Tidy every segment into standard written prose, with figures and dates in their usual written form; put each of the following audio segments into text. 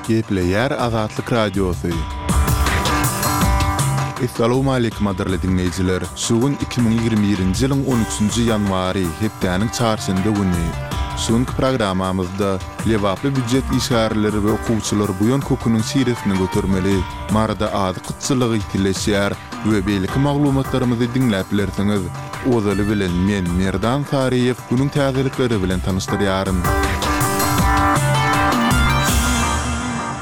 Gepleýär Azatlyk Radiosy. Essalawmaleýkim gadyrly diňleýjiler! Şu gün 2021-nji ýylyň on üçünji ýanwary, hepdäniň çarşenbe güni. Şu günki programmamyzda lebaply býujet işgärleri we okuwçylar buýan köküniň şiresini götermeli, Maryda azyk gytçylygy ýitileşýär we beýleki maglumatlarymyzy diňläp bilersiňiz. Ozaly bilen men, Merdan Saryýew, günüň täzelikleri bilen tanyşdyrýaryn.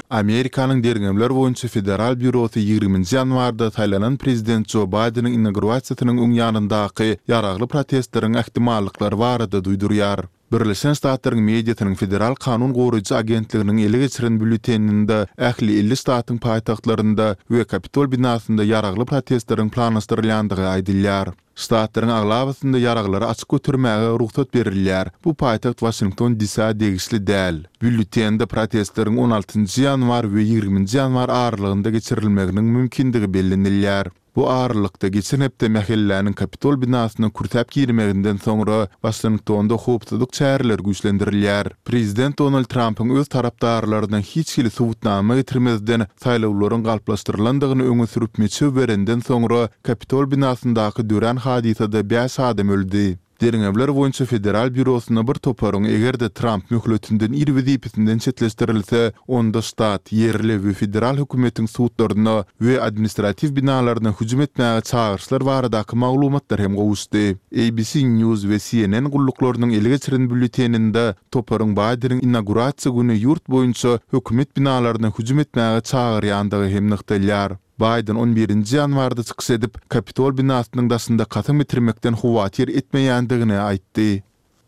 Amerikanyň Derňewler boýunça federal býurosy ýigriminji ýanwarda saýlanan prezident Jo Baýdeniň inaugurasiýasynyň öň ýanyndaky ýaragly protestleriň ähtimallyklary barada duýdurýar. Birleşen Ştatlaryň mediasynyň Federal kanun goraýjy agentliginiň ele geçiren býulleteninde ähli 50 ştatyň paýtagtlarynda we Kapitol binasynda ýaragly protestleriň planlaşdyrylýandygy aýdylýar. Ştatlaryň aglabasynda ýaraglary açyk götermäge rugsat berilýär, bu paýtagt Waşington DC-ä degişli däl. Býulletende protestleriň on altynjy ýanwar we ýigriminji ýanwar aralygynda geçirilmeginiň mümkindigi bellenilýär. Bu aralykda, geçen hepde mähelläniň Kapitol binasyna kürsäp girmeginden soňra, Waşingtonda howpsuzlyk çäreleri güýçlendirilýär. Prezident Donald Trampyň öz tarapdarlaryna hiç hili subutnama getirmezden saýlawlaryň galplaşdyrylandygyny öňe sürüp meçew berenden soňra, Kapitol binasyndaky dörän hadysada bäş adam öldi. Derňewler boýunça federal býurosyna bir toparyň eger-de Tramp möhletinden ir wezipesinden çetleşdirilse, onda ştat, ýerli we federal hökümetiň sudlaryna we administratiw binalaryna hüjüm etmäge çagyryşlar baradaky maglumatlar hem gowuşdy. ABC News we CNN gulluklarynyň ele geçiren býulleteninde toparyň Baýdeniň inaugurasiýa güni ýurt boýunça hökümet binalaryna hüjüm etmäge çagyrýandygy hem nygtalýar. Baýden on birinji ýanwarda çykyş edip, Kapitol binasynyň daşynda kasam getirmekden howatyr etmeýändigini aýtdy.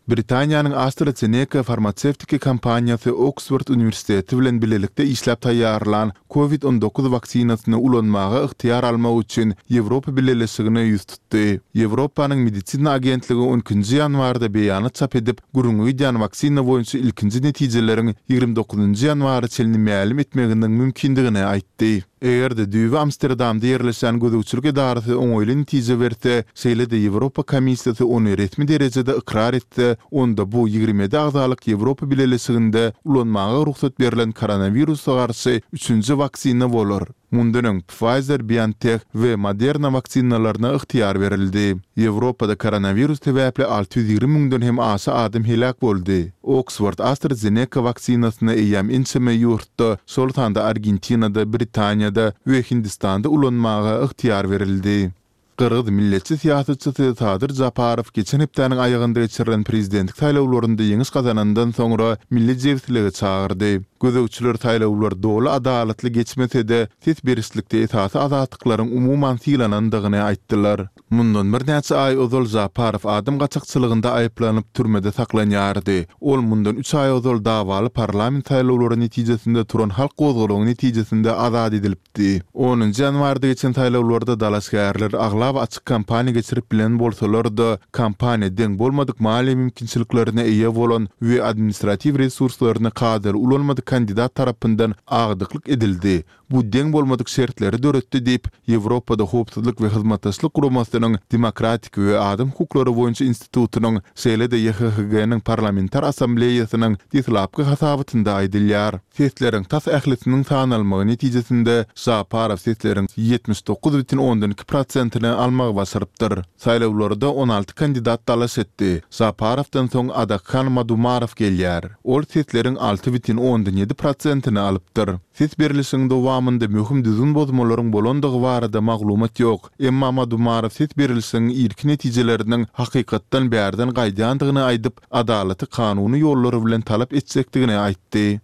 Britaniýanyň AstraZeneca farmasewtiki kompaniýasy Oksford uniwersiteti bilen bilelikde işläp taýýarlan Covid 19 waksinasyny ulanmaga ygtyýar almak üçin Ýewropa Bileleşigine ýüz tutdy. Ýewropanyň Medisina agentligi on ikinji ýanwarda beýanat çap edip, gürrüňi gidýän waksina boýunça ilkinji netijeleriň 29-njy ýanwara çenli mälim etmeginiň mümkindigini aýtdy. Eger-de düýbi Amsterdamda ýerleşýän gözegçilik edarasy oňaýly netije berse, şeýle-de Ýewropa Komissiýasy ony resmi derejede ykrar etse, onda bu 27 agzalyk Ýewropa Bileleşiginde ulanmaga rugsat berlen koronawirusa garşy üçünji waksina bolar. Mundan öň Pfizer-BioNTech we Moderna waksinalaryna ygtyýar berildi. Ýewropada koronawirus sebäpli 620 müňden hem aşa adam heläk boldy. Oksford-AstraZeneca waksinasyny eýýäm ençeme ýurtda, şol sanda Argentinada, Britaniýada we Hindistanda ulanmaga ygtyýar berildi. Gyrgyz milletçi syýasatçysy Sadyr Japarow geçen hepdäniň aýagynda geçirilen prezidentlik saýlawlarynda ýeňiş gazanandan soňra milli jebislige çagyrdy. Gözegçiler saýlawlar doly adalatly geçmese-de, ses berişlikde esasy azatlyklaryň umuman sylanandygyny aýtdylar. Mundan birnäçe aý ozal Žaparow adam gaçakçylygynda aýyplanyp, türmede saklanýardy. Ol mundan üç aý ozal dawaly parlament saýlawlary netijesinde turan halk gozgalaňy netijesinde azat edilipdi. Onunjy ýanwarda geçen saýlawlarda dalaşgärler aglaba açyk kampaniýa geçirip bilen bolsalar-da, kampaniýa deň bolmadyk maliýe mümkinçiliklerine eýe bolan we administratiw resurslaryny kadaly ulanmadyk kandidat tarapyndan agdyklyk edildi, Bu deň bolmadyk şertleri döretdi diýip, Ýewropada Howpsuzlyk we Hyzmatdaşlyk Guramasynyň Demokratik we adam hukuklary boýunça institutynyň, şeýle-de YHHG-niň Parlamentar Assambleýasynyň deslapky hasabatynda aýdylýar. Sesleriň tas ählisiniň sanalmagy netijesinde Žaparow sesleriň 79,2 prosentini almagy başarypdyr. Saýlawlarda 16 kandidat dalaş etdi. Žaparowdan soň Adakhan Madumarow gelýär. Ol sesleriň 6,7 prosentini alypdyr. Ses berlişigiň dowamynda möhüm düzgün bozmalaryň bolandygy barada maglumat ýok, emma Madumarow ses berlişigiň irki netijeleriniň hakykatdan bärden gaýdýandygyny aýdyp, adalaty kanuny ýollar bilen talap etjekdigini aýtdy.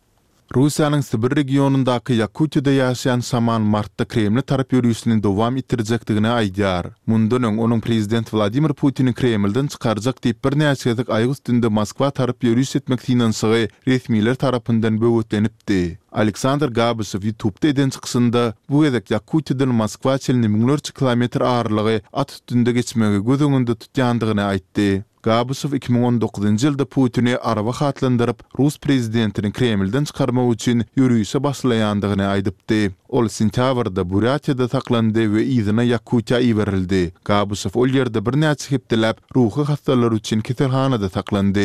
Russiýanyň Sibir regionyndaky Ýakutiýada ýaşaýan şaman martda Kremle tarap ýörişini dowam etdirjekdigini aýdýar. Mundan öň onuň prezident Wladimir Putini Kremlden çykarjak diýip birnäçe gezek aýak üstünde Moskwa tarap ýöriş etmek synanyşygy resmiler tarapyndan böwetlenipdi. Aleksandr Gabyşew YouTubda eden çykyşynda bu gezek Ýakutiýadan Moskwa çenli müňlerçe kilometr aralygy at üstünde geçmegi göz öňünde tutýandygyny aýtdy. Gabyşew 2019-njy ýylda Putini arwah atlandyryp, rus prezidentini Kremlden çykarmak üçin ýörişe başlaýandygyny aýdypdy. Ol sentýabrda Burýatiýada saklandy we yzyna Ýakutiýa iberildi. Gabyşew ol ýerde birnäçe hepdeläp ruhy hassalar üçin keselhanada saklandy.